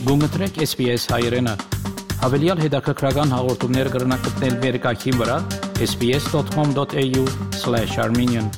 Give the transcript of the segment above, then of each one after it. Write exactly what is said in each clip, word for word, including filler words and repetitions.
Գումտրեք S B S հայերեն։ Հավելյալ հետաքրքրական հաղորդումներ կգրնակցնել վերկայքին վրա S B S dot com dot A U slash Armenian։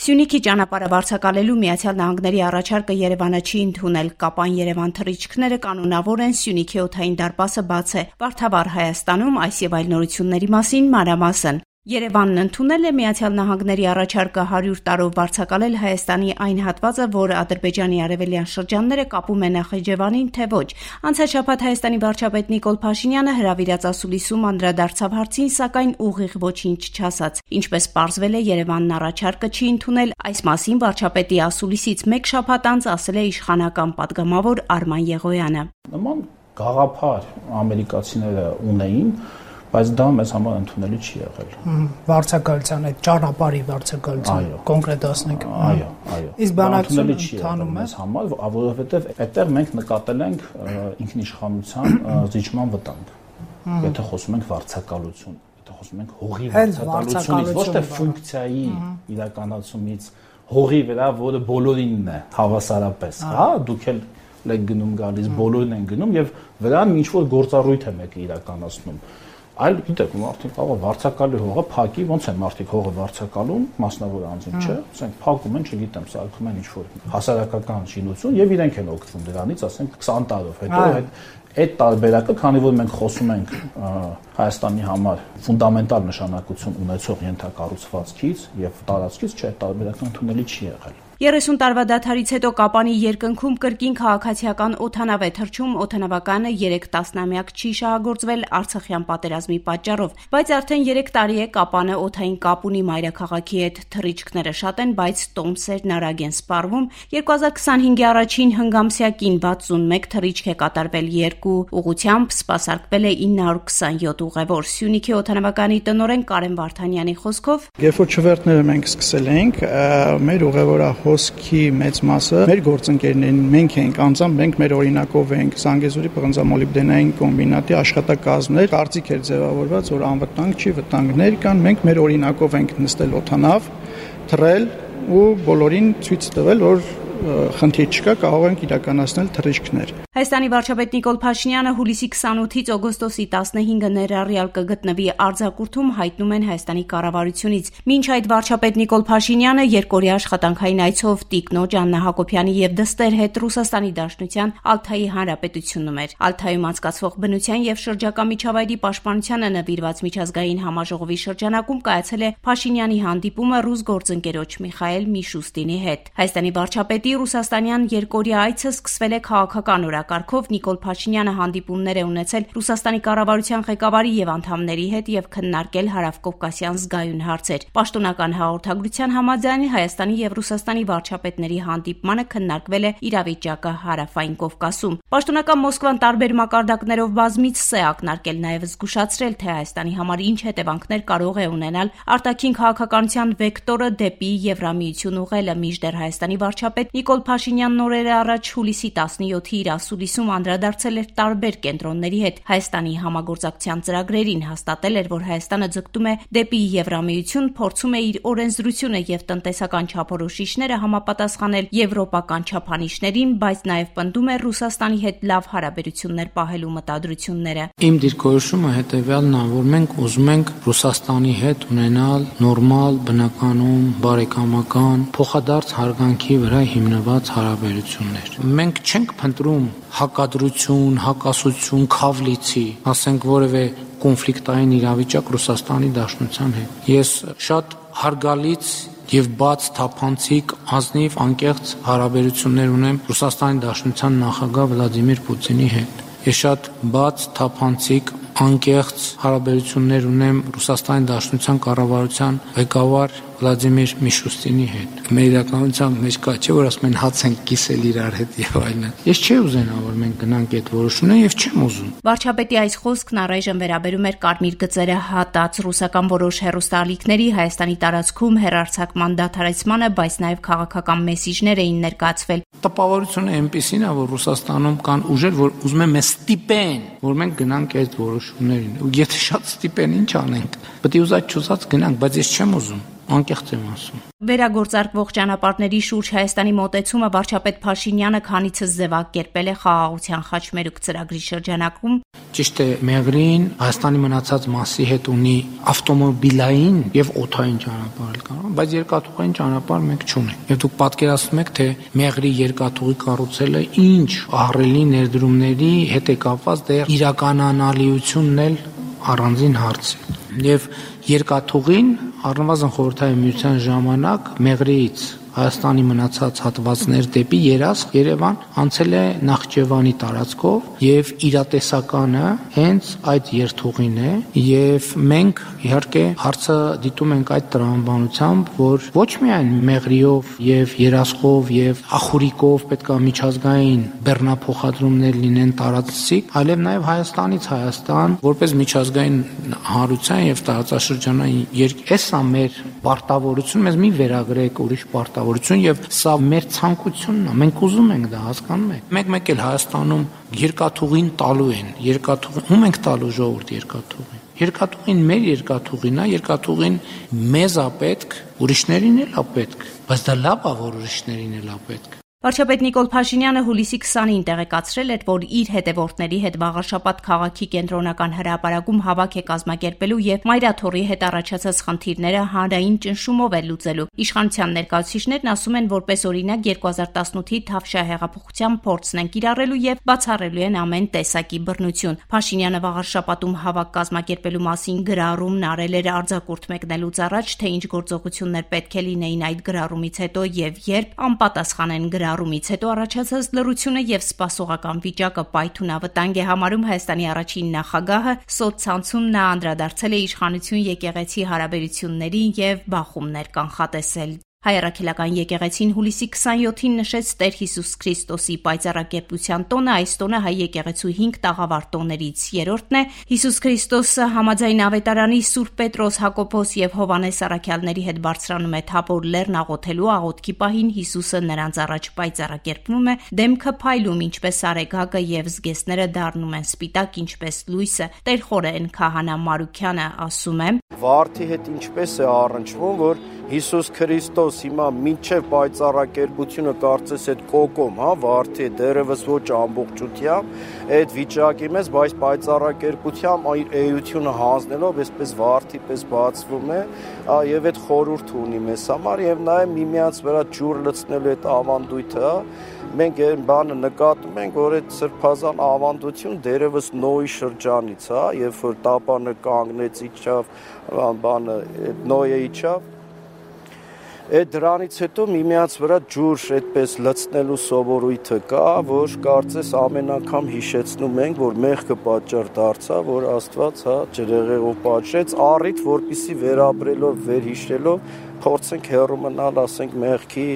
Սյունիքի ճանապարհը վարձակալելու Միացյալ Նահանգների առաջարկը Երևանը չի ընդունել։ Կապան Երևան թռիչքները կանոնավոր են, Սյունիքի օդային դարպասը բաց է։ Վարդավառ Հայաստանում այս եւ այլ նորությունների մասին մանրամասն։ Երևանն ընդունել է Միացյալ Նահանգների առաջարկը հարյուր տարով վարձակալել Հայաստանի այն հատվածը, որը Ադրբեջանի արևելյան շրջանները կապում է Նախիջևանին, թե ոչ։ Անցած շաբաթ Հայաստանի վարչապետ Նիկոլ Փաշինյանը հրավիրած ասուլիսում անդրադարձավ հարցին, սակայն ուղիղ ոչինչ չասաց։ Ինչպես պարզվել է, Երևանն առաջարկը չի ընդունել։ Այս մասին վարչապետի ասուլիսից մեկ շաբաթ անց ասել է իշխանական падգամավոր Արման Եղոյանը։ Նման գաղափար ամերիկացիները ունեին, բայց դա մեզ համար ընդունելի չի եղել։ Վարձակալության այդ ճանապարհի վարձակալության կոնկրետացնենք։ Այո, այո։ Իսկ բանակցությունը ընդանում է մեզ համար, որովհետև այդտեղ մենք նկատել ենք ինքնիշխանության զիջման վտանգ։ Եթե խոսում ենք վարձակալություն, եթե խոսում ենք հողի վարձակալությունից, ոչ թե ֆունկցիայի իրականացումից, հողի վրա, որը բոլորինն է հավասարապես, հա, դուք էլ եք գնում գալիս, բոլորին են գնում եւ վրան ինչ որ գործառույթ է մեկը իրականացնում։ Այլ գիտեք, մարդիկ կարող վարձակալի հողը փակի, ոնց են մարդիկ հողը վարձակալում, մասնավոր անձին, չէ՞, ասենք փակում են, չգիտեմ, սարքում են ինչ-որ հասարակական շինություն եւ իրենք են օգտվում դրանից, ասենք քսան տարով հետո այդ այդ տարբերակը, քանի որ մենք խոսում ենք Հայաստանի համար ֆունդամենտալ նշանակություն ունեցող ենթակառուցվածքից եւ տարածքից, չէ, տարբերակը ընդունելի չի եղել։ երեսուն տարվա դադարից հետո Կապանի երկնքում կրկին քաղաքացիական օդանավ է թռչում, օդանավականը երեք տասնամյակ չի շահագործվել Արցախյան պատերազմի պատճառով, բայց արդեն երեք տարի է Կապանը օդային կապ ունի մայրաքաղաքի հետ, թռիչքները շատ են, բայց տոմսերն արագ են սպառվում։ երկու հազար քսանհինգի առաջին հնգամսյակին վաթսունմեկ թռիչք է կատարվել երկու ուղությամբ, սպասարկվել է ինը հարյուր քսանյոթ ուղևոր։ Սյունիքի օդանավականի տնօրեն Կարեն Վարդանյանի խոսքով, երբ որ չվերթները մենք սկսել ենք, մեր ուղևորահոսքի մեծ մասը մեր գործընկերներն մենք ենք, անձամբ մենք մեր օրինակով ենք Զանգեզուրի պղնձամոլիբդենային կոմբինատի աշխատակազմներ, կարծիք էր ձևավորված, որ անվտանգ չի, վտանգներ կան, մենք մեր օրինակով ենք նստել օդանավ, թռել ու բոլորին ցույց տվել, որ խնդիր չկա, կարող ենք իրականացնել թռիչքներ։ Հայաստանի վարչապետ Նիկոլ Փաշինյանը հուլիսի քսանութից օգոստոսի տասնհինգը ներառյալ կգտնվի արձակուրդում, հայտնում են Հայաստանի կառավարությունից։ Մինչ այդ վարչապետ Նիկոլ Փաշինյանը երկօրյա աշխատանքային այցով տիկնոջ Աննա Հակոբյանի եւ դստեր հետ Ռուսաստանի Դաշնության Ալթայի Հանրապետությունում էր։ Ալթայում անցկացվող բնության եւ շրջակա միջավայրի պաշտպանությանը նվիրված միջազգային համաժողովի շրջանակում կայացել է Փաշինյանի հանդիպումը ռուս գործընկերոջ Միխայել Միշուստինի հետ։ Հայաստանի վարչապետի Ռուսաստանյան երկօրյա այցը սկսվել է քաղաքական օրակարգով։ Նիկոլ Փաշինյանը հանդիպումներ է ունեցել Ռուսաստանի կառավարության ղեկավարի եւ անդամների հետ եւ քննարկել հարավկովկասյան զգայուն հարցեր։ Պաշտոնական հաղորդագրության համաձայն Հայաստանի եւ Ռուսաստանի վարչապետների հանդիպմանը քննարկվել է իրավիճակը հարավային Կովկասում։ Պաշտոնական Մոսկվան տարբեր մակարդակներով բազմից է ակնարկել, նաեւ զգուշացրել, թե Հայաստանի համար ինչ հետևանքներ կարող է ունենալ արտաքին քաղաքականության վեկտորը դեպի Եվրամիություն ուղղելը, մինչդեռ Հայաստանի վարչապետ Նիկոլ Փաշինյանն օրեր առաջ հուլիսի տասնյոթի իր ասուլիսում անդրադարձել էր տարբեր կենտրոնների հետ Հայաստանի համագործակցության ծրագրերին, հաստատել էր, որ Հայաստանը ձգտում է դեպի Եվրամիություն, փորձում է իր օրենսդրությունը եւ տնտեսական չափորոշիչները համապատասխանել եվրոպական չափանիշներին, բայց նաեւ պնդում է Ռուսաստանի հետ լավ հարաբերություններ պահելու մտադրությունները։ Իմ դիրքորոշումը հետեւյալն է, որ մենք ուզում ենք Ռուսաստանի հետ ունենալ նորմալ, բնականon, բարեկամական, փոխադարձ հարգանքի վրա հիմնված հարաբերություններ։ Մենք չենք փնտրում հակադրություն, հակասություն, քավլիցի, ասենք որևէ կոնֆլիկտային իրավիճակ Ռուսաստանի Դաշնության հետ։ Ես շատ հարգալից եւ բաց թափանցիկ ազնիվ անկեղծ հարաբերություններ ունեմ Ռուսաստանի Դաշնության նախագահ Վլադիմիր Պուտինի հետ։ Ես շատ բաց թափանցիկ անկեղծ հարաբերություններ ունեմ Ռուսաստանի Դաշնության կառավարության ղեկավար Վլադիմիր Միշուստինի հետ։ Մեր իրականության մեջ կա, չէ՞ որ ասում են հաց են կիսել իրար հետ եւ այլն։ Ես չի ուզենա, որ մենք գնանք այդ որոշումները եւ չեմ ուզում։ Վարչապետի այս խոսքն առայժմ վերաբերում էր կարմիր գծերը հատած ռուսական որոշ հեռուստաալիքների Հայաստանի տարածքում հեռարձակման դադարեցմանը, բայց նաեւ քաղաքական մեսիջներ էին ներկայացվել։ Տպավորությունը այնպեսին է, որ Ռուսաստանում կան ուժեր, որ ուզում են մեզ ստիպեն, որ մենք գնանք այդ որոշումներին։ Ու եթե շատ ստիպեն, ինչ անենք։ Պետք է ուզած չուզած գնանք, բայց ես չեմ ուզում։ անկեղծ եմ ասում։ Վերագործարկվող ճանապարհների շուրջ Հայաստանի մոտեցումը վարչապետ Փաշինյանը քանիցս ձևակերպել է խաղաղության խաչմերուկ ծրագրի շրջանակում։ Ճիշտ է, Մեղրին Հայաստանի մնացած մասի հետ ունի ավտոմոբիլային եւ օդային ճանապարհ կա, բայց երկաթուղային ճանապարհ մենք չունենք։ Եվ դուք պատկերացնում եք, թե Մեղրի երկաթուղի կառուցելը ինչ ահռելի ներդրումների հետ է կապված, դեռ իրականանալիությունն էլ առանձին հարց է։ Եվ երկաթուղին առնվազն խորհրդային միության ժամանակ Մեղրիից Հայաստանի մնացած հատվածներ դեպի Երասխ, Երևան անցել է Նախճեվանի տարածքով եւ իրատեսականը հենց այդ երթուղին է եւ մենք իհարկե հարցը դիտում ենք այդ տրամաբանությամբ, որ ոչ միայն Մեղրիով եւ Երասխով եւ Ախուրիկով պետք է միջազգային բեռնափոխադրումներ լինեն տարածքից, այլև նաեւ Հայաստանից Հայաստան որպես միջազգային հանրության եւ տարածաշրջանային երկ էսա մեր պարտավորություն, մեզ մի վերագրեք ուրիշ պարտավորություն եւ սա մեր ցանկությունն է, մենք ուզում ենք դա, հասկանում եք։ Մեկ-մեկ էլ Հայաստանում երկաթուղին տալու են, երկաթուղին ում ենք տալու ժողովուրդ երկաթուղին։ Երկաթուղին մեր երկաթուղին է, երկաթուղին մեզ է պետք, ուրիշներին էլ է պետք, բայց դա լավ է, որ ուրիշներին էլ է պետք։ Վարչապետ Նիկոլ Փաշինյանը հուլիսի քսանին տեղեկացրել էր, որ իր հետևորդների հետ վաղարշաբաթ քաղաքի կենտրոնական հրապարակում հավաք է կազմակերպելու եւ Մայրաթոռի հետ առաջացած խնդիրները հանրային ճնշումով է լուծելու։ Իշխանության ներկայացուցիչներն ասում են, որպես օրինակ երկու հազար տասնութի Թավշյա հեղափոխության փորձն են կիրառելու եւ բացառելու են ամեն տեսակի բռնություն։ Փաշինյանը վաղարշաբաթում հավաք կազմակերպելու մասին գրառումն արել էր արձակուրդ մեկնելուց առաջ, թե ինչ գործողություններ պետք է լինեին այդ գրառումից հետո եւ երբ անպատասխան են գրառ Ռումից հետո առաջացած լռությունը եւ սպասողական վիճակը պայթունավտանգ է համարում Հայաստանի առաջին նախագահը, սոցցանցում նա անդրադարձել է իշխանություն եկեղեցի հարաբերություններին եւ բախումներ կանխատեսել։ Հայ առաքելական եկեղեցին հուլիսի քսանյոթին նշեց Տեր Հիսուս Քրիստոսի պայծառակերպության տոնը, այս տոնը հայ եկեղեցու հինգ տաղավար տոներից երրորդն է։ Հիսուս Քրիստոսը համաձայն ավետարանի Սուրբ Պետրոս, Հակոբոս եւ Հովանես առաքյալների հետ բարձրանում է Թաբոր լեռն աղոթելու աղոթքի պահին Հիսուսը նրանց առաջ պայծառակերպվում է, դեմքը փայլում ինչպես արեգակը եւ զգեստները դառնում են սպիտակ ինչպես լույսը։ Տեր խորեն քահանա Մարուքյանը ասում է. Վարդի հետ ինչպես է առնչվում, որ Հիսուս Քրիստոս հիմա մինչև պայծառակերպությունը կարծես այդ կոկոմ, հա, վարդի դերևս ոչ ամբողջությամբ, այդ վիճակի մեզ, բայց պայծառակերպությամբ իր էությունը հանձնելով, այսպես վարդի պես բացվում է, եւ այդ խորհուրդ ունի մեզ համար եւ նաեւ միմյանց վրա ջուր լցնելու այդ ավանդույթը, մենք այն բանը նկատում ենք, որ այդ սրբազան ավանդություն դերևս Նոյի շրջանից, հա, երբ որ տապանը կանգնեց իջավ, բանը Նոյը իջավ, այդ դրանից հետո միմյանց վրա ջուր այդպես լցնելու սովորույթը կա, որ կարծես ամեն անգամ հիշեցնում ենք, որ մեղքը պատճառ դարձավ, որ Աստված, հա, ջրեղեղով պատժեց, առիթ, որպեսզի վերապրելով, վերհիշելով փորձենք հեռու մնալ, ասենք մեղքի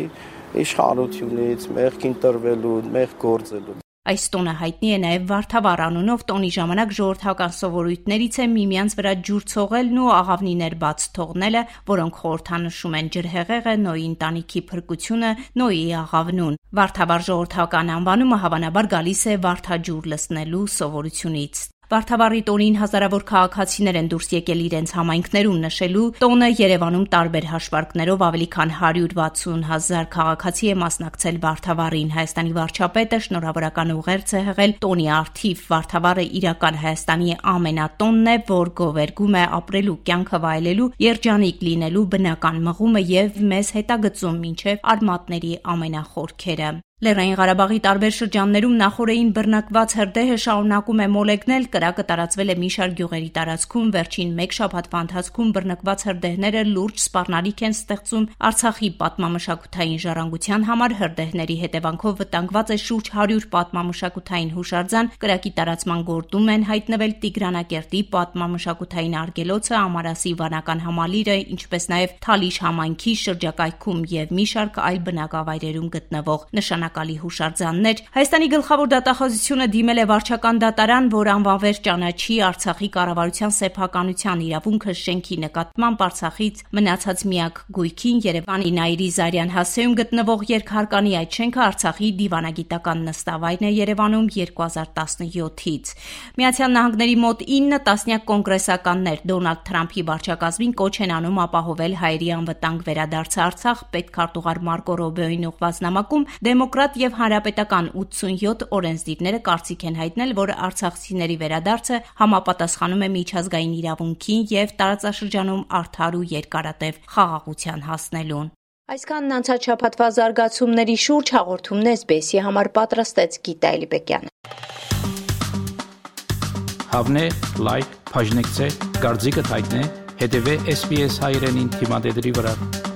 իշխանությունից, մեղքին տրվելու, մեղք գործելու։ Այս տոնը հայտնի է նաև Վարդավառ անունով, տոնի ժամանակ ժողովրդական սովորույթներից է միմյանց վրա ջուր ցողելն ու աղավնիներ բաց թողնելը, որոնք խորհրդանշում են ջրհեղեղը, Նոյի ընտանիքի փրկությունը, Նոյի աղավնուն։ Վարդավառ ժողովրդական անվանումը հավանաբար գալիս է վարդաջուր լցնելու սովորությունից։ Վարդավառի տոնին հազարավոր քաղաքացիներ են դուրս եկել իրենց համայնքներում նշելու տոնը Երևանում տարբեր հաշվարկներով ավելի քան հարյուր վաթսուն հազար քաղաքացի է մասնակցել Վարդավառին։ Հայաստանի վարչապետը շնորհավորական ուղերձ է հղել տոնի առթիվ։ Վարդավառը իրական Հայաստանի ամենատոնն է, որ գովերգում է ապրելու, կյանքը վայելելու, երջանիկ լինելու բնական մղումը եւ մեզ հետագծում մինչեւ արմատների ամենախորքերը։ Լեռնային Ղարաբաղի տարբեր շրջաններում նախօրեին բռնակված հրդեհը շարունակում է մոլեգնել, կրակը տարածվել է մի շարք գյուղերի տարածքում, վերջին մեկ շաբաթվա ընթացքում բռնկված հրդեհները լուրջ սպառնալիք են ստեղծում Արցախի պատմամշակութային ժառանգության համար, հրդեհների հետևանքով վտանգված է շուրջ հարյուր պատմամշակութային հուշարձան, կրակի տարածման գործում են հայտնվել Տիգրանակերտի պատմամշակութային արգելոցը, Ամարասի վանական համալիրը, ինչպես նաև Թալիշ համայնքի շրջակայքում եւ մի շարք այլ բնակավայրերում գտնվող նշանակ նշանակալի հուշարձաններ։ Հայաստանի գլխավոր դատախազությունը դիմել է վարչական դատարան, որ անվանվեր ճանաչի Արցախի կառավարության սեփականության իրավունքը շենքի նկատմամբ Արցախից մնացած միակ գույքին Երևանի Նայիրի Զարյան հասցեում գտնվող երկհարկանի այդ շենքը Արցախի դիվանագիտական նստավայրն է Երևանում երկու հազար տասնյոթից։ Միացյալ Նահանգների մոտ ինը տասնյակ կոնգրեսականներ Դոնալդ Թրամփի վարչակազմին կոչ են անում ապահովել հայերի անվտանգ վերադարձը Արցախ պետքարտուղար Մարկո Ռոբեոյին ուղղված նամակում դեմոկրատ եւ հանրապետական ութսունյոթ օրենսդիրները կարծիք են հայտնել, որ արցախցիների վերադարձը համապատասխանում է միջազգային իրավունքին եւ տարածաշրջանում արդար ու երկարատև խաղաղության հասնելուն։ Այսքանն անցած շաբաթվա զարգացումների շուրջ հաղորդումն էս բի էսի համար պատրաստեց Գիտա Էլիբեկյանը։ Հավնե, լայք, բաժնեկցե, դարձիկը թայտնե, հետևե էս բի էս հայրենին թիմադեդի վրա։